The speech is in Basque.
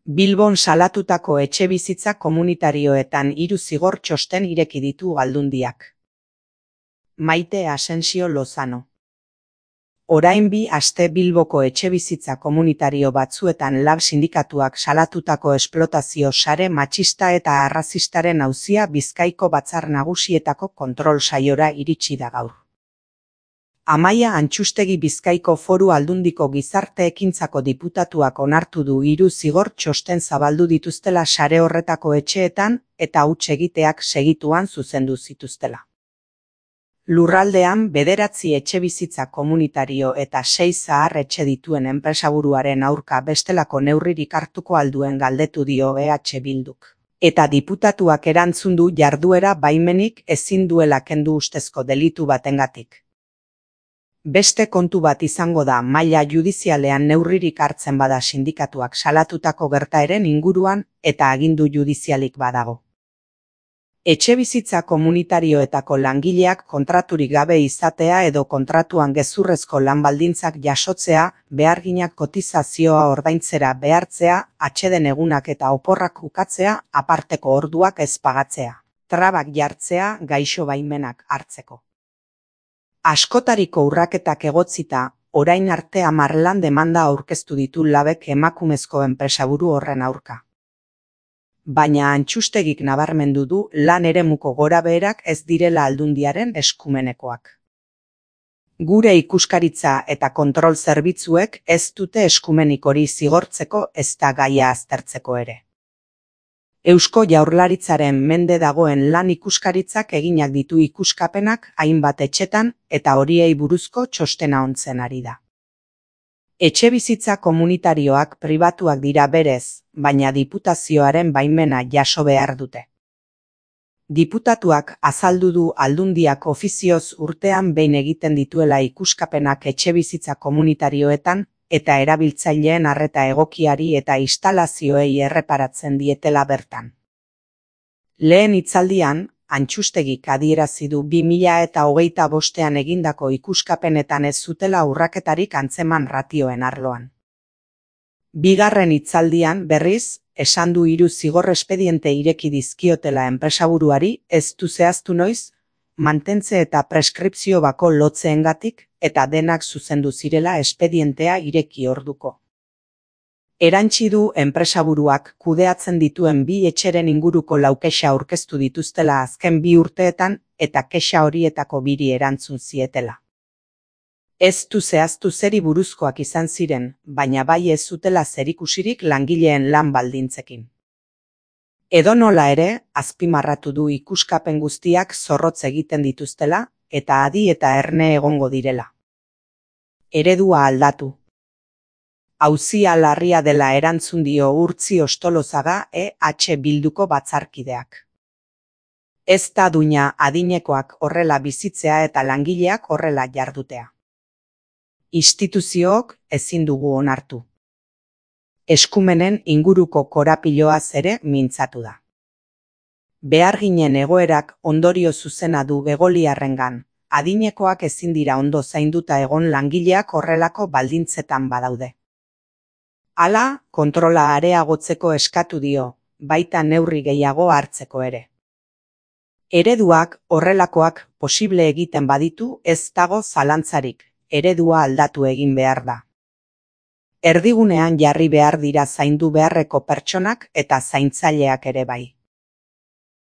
Bilbon salatutako etxebizitza komunitarioetan 3 zigor txosten ireki ditu Aldundiak. Maite Asensio Lozano. Orain 2 aste Bilboko etxebizitza komunitario batzuetan lab sindikatuak salatutako esplotazio sare matxista eta arrazistaren auzia Bizkaiko Batzar Nagusietako kontrol saiora iritsi da gaur. Amaia Antxustegi Bizkaiko Foru Aldundiko Gizarte Ekintzako diputatuak onartu du 3 zigor txosten zabaldu dituztela sare horretako etxeetan eta huts egiteak segituan zuzendu zituztela. Lurraldean 9 etxebizitza komunitario eta 6 zahar etxe dituen enpresaburuaren aurka bestelako neurririk hartuko alduen galdetu dio EH Bilduk. Eta diputatuak erantzun du jarduera baimenik ezin duela kendu ustezko delitu batengatik. Beste kontu bat izango da maila judizialean neurririk hartzen bada sindikatuak salatutako gertaeren inguruan eta agindu judizialik badago. Etxebizitza komunitarioetako langileak kontraturik gabe izatea edo kontratuan gezurrezko lan baldintzak jasotzea, beharginak kotizazioa ordaintzera behartzea, atseden egunak eta oporrak ukatzea, aparteko orduak ez pagatzea, trabak jartzea gaixo baimenak hartzeko. Askotariko urraketak egotzita, orain arte 10 lan demanda aurkeztu ditu labek emakumezko enpresaburu horren aurka. Baina Antxustegik nabarmendu du lan eremuko gorabeherak ez direla Aldundiaren eskumenekoak. Gure ikuskaritza eta kontrol zerbitzuek ez dute eskumenik hori zigortzeko ezta gaia aztertzeko ere. Eusko Jaurlaritzaren mende dagoen lan ikuskaritzak eginak ditu ikuskapenak hainbat etxetan eta horiei buruzko txostena ontzen ari da. Etxebizitza komunitarioak pribatuak dira berez, baina diputazioaren baimena jaso behar dute. Diputatuak azaldu du Aldundiak ofizioz urtean behin egiten dituela ikuskapenak etxebizitza komunitarioetan, eta erabiltzaileen arreta egokiari eta instalazioei erreparatzen dietela bertan. Lehen hitzaldian, Antxustegik adierazi du 2025ean egindako ikuskapenetan ez zutela urraketarik antzeman ratioen arloan. Bigarren hitzaldian, berriz, esan du 3 zigor espediente ireki dizkiotela enpresaburuari ez du zehaztu noiz, mantentze eta preskripzio bako lotzeengatik eta denak zuzendu zirela espedientea ireki orduko. Erantsi du enpresaburuak kudeatzen dituen 2 etxeren inguruko 4 kexa aurkeztu dituztela azken 2 urteetan eta kexa horietako 2 erantzun zietela. Ez du zehaztu zeri buruzkoak izan ziren, baina bai ez zutela zerikusirik langileen lan baldintzekin. Edonola ere, azpimarratu du ikuskapen guztiak zorrotz egiten dituztela eta adi eta erne egongo direla. Eredua aldatu. Auzia larria dela erantzun dio Urtzi Ostolozaga EH Bilduko batzarkideak. Ez da duina adinekoak horrela bizitzea eta langileak horrela jardutea. Instituziook ezin dugu onartu. Eskumenen inguruko korapiloaz ere mintzatu da. Beharginen egoerak ondorio zuzena du begoliarrengan, adinekoak ezin dira ondo zainduta egon langileak horrelako baldintzetan badaude. Hala, kontrola areagotzeko eskatu dio, baita neurri gehiago hartzeko ere. Ereduak horrelakoak posible egiten baditu ez dago zalantzarik, eredua aldatu egin behar da. Erdigunean jarri behar dira zaindu beharreko pertsonak eta zaintzaileak ere bai.